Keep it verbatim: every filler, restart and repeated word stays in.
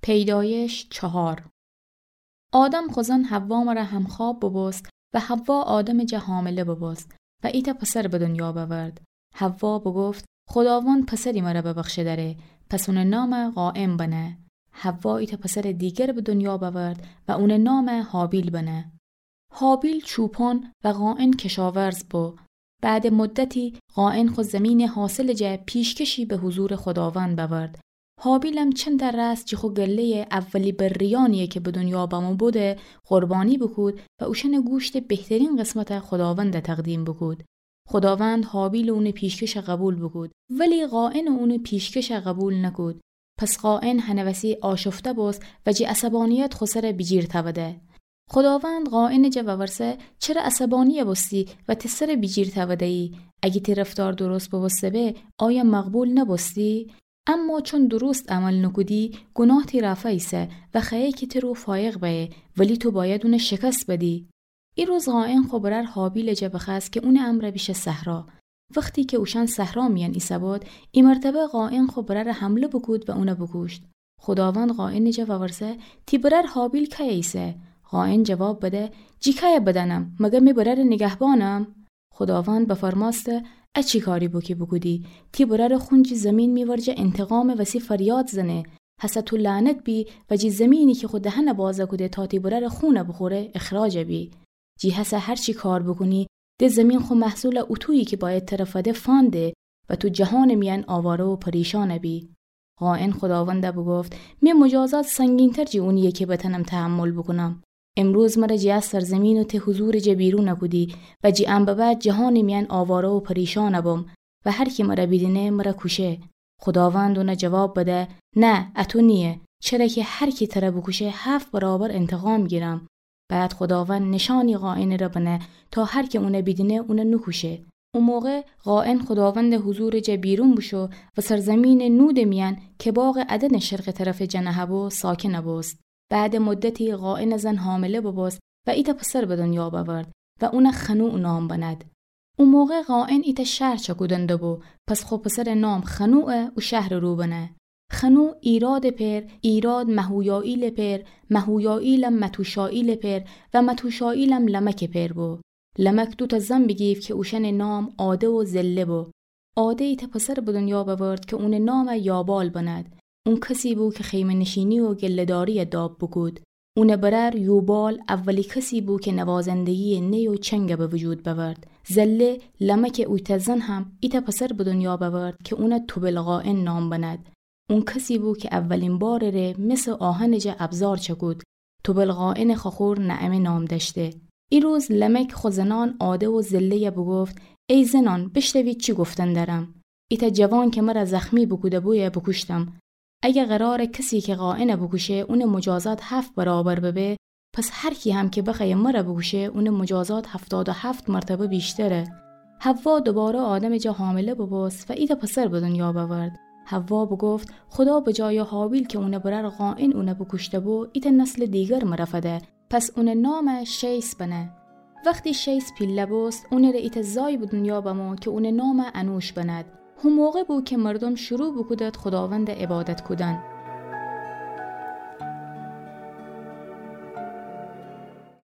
پیدایش چهار. آدم خو زن حوا مره همخواب ببوست و حوا آدمٚ جا حامله ببوست و ایتأ پسر به دنیا بأورد. حوا بگفت: خوداوند پسری مره ببخشه دأره، پس اونٚ نام قائن بنه. حوا ایتأ پسرٚ دیگر به دنیا بأورد و اونٚ نام هابیل بنه. هابیل چوپان و قائن کشاورز بو. بعدٚ مدتی قائن خو زمینٚ حاصلٚ جا پیشکشی به حضورٚ خوداوند بأورد. هابیلم چندتأ رأس جی خو گله‌یٚ اولی برّیأنیی که به دنیا بمو بوده قربانی بوکود و اوشأنٚ گوشتٚ بهترین قسمت خوداوند تقدیم بوکود. خوداوند هابیل و اونٚ پیشکش قبول بوکود، ولی قائن و اونٚ پیشکش قبول نکود. پس قائن هنٚ وسی آشفته بوست و جی عصبانیت خو سر بیجیر تأوده. خوداوند قائنٚ جا وورسه: چره عصبانی بوستی و تی سر بیجیر تأوده‌یی؟ اگه تی رفتار درست بوبوسته به، آیا مقبول نبوستی؟ اما چون درست عمل نکودی، گناه تی رأ فأیسه و خوأیه که تی رو فایق بأیه، ولی تو بأید اون شکست بدی. ایروز قائن خو برأر هابیلٚ جا بخوأست که اونٚ امرأ بیشه صحرا. وختی که اوشأن صحرا میأن ایسه‌بود، ای مرتبه قائن خو برأر حمله بوکود و اون بوکوشت. خوداوند قائنٚ جا وورسه: تی برأر هابیل کیه ایسه؟ قائن جواب بده: جی کیه بدأنم؟ مگر می برأرٚ نیگهبانم؟ خوداوند بفرمأسته: ا چی کاری بو که بوکودی؟ تی برأرٚ خون جی زیمین می ورجه انتقامٚ وسی فریاد زنه. هسه تو لعنت بی و جی زیمینی که خو دهن بازه کوده تا تی برأرٚ خون بوخوره، اخراج بی. جی هسه هر چی کار بوکونی، د زیمین خو محصول اوتویی که بأید تره فده فأنده و تو جهانٚ میأن آواره و پریشان بی. قائن خوداوند بوگفت: می مجازات سنگین‌تر جی اونییه که بتأنم تحمل بوکونم. امروز مره جی ا سرزیمین و تی حضورٚ جا بیرون کودی و جی ان به بعد جهانٚ میأن آواره و پریشان بوم و هر کی مره بیدینه مره کوشه. خوداوند اون جواب بده: نه، ا تو نییه، چره که هر کی تره بوکوشه هفت برابر انتقام گیرم. بعد خوداوند نشانی قائنٚ ره بنه تا هر کی اون بیدینه اون نوکوشه. او موقع قائن خوداوندٚ حضورٚ جا بیرون بوشو و سرزیمینٚ نودٚ میأن که باغٚ عدنٚ شرقٚ طرف جا نهه‌بو ساکن بوست. بعدٚ مدتی قائنٚ زن حامله ببوست و ایتأ پسر به دنیا بأورد و اون خنوع نام بند. او موقع قائن ایتأ شهر چکودن دوبو، پس خو پسرٚ نام خنوع او شهرٚ رو بنه. خنوع ایرادٚ پئر، ایراد مهویائیلٚ پئر، مهویائیلم متوشائیلٚ پئر و متوشائیلم لمکٚ پئر بو. لمک دوتأ زن بیگیفت که اوشأنٚ نام عاده و زله بو. عاده ایتأ پسر به دنیا بأورد که اونٚ نام یابال بند. اون کسی بو که خیمه‌نشینی و گله‌داری داب بوکود. اونٚ برأر یوبال اولی کسی بو که نوازندگییٚ نی و چنگ به وجود بأورد. زله، لمکٚ اویتأ زن هم ایتأ پسر به دنیا بأورد که اون توبل قائن نام بند. اون کسی بو که اولین بارٚ ره مس و آهنٚ جا ابزار چکود. توبل قائنٚ خوأخور نعمه نام دأشته. ایروز لمک خو زنأن عاده و زله‌یه بوگفت: ای زنأن، بشنوید چی گفتن دأرم. ایتأ جوان که مره زخمی بوکوده‌بویه بوکوشتم. اگر قراره کسی که قائن بوکوشه، اونٚ مجازات هفت برابر ببه، پس هر کی هم که بخوأیه مره بوکوشه، اونٚ مجازات هفتاد و هفت مرتبه ویشتره. حوا دوباره آدمٚ جا حامله ببوست و ایتأ پسر به دنیا بأورد. حوا بوگفت: خودا به جایٚ هابیل که اونٚ برأر قائن اون بوکوشته‌بو، ایتأ نسلٚ دیگر مره فده. پس اونٚ نام شیث بنه. وختی شیث پیله بوست، اونٚ ره ایتأ زای به دنیا بمو که اونٚ نام انوش بند. هو موقع بو که مردوم شروع بوکودد خوداوند عبادت کودن.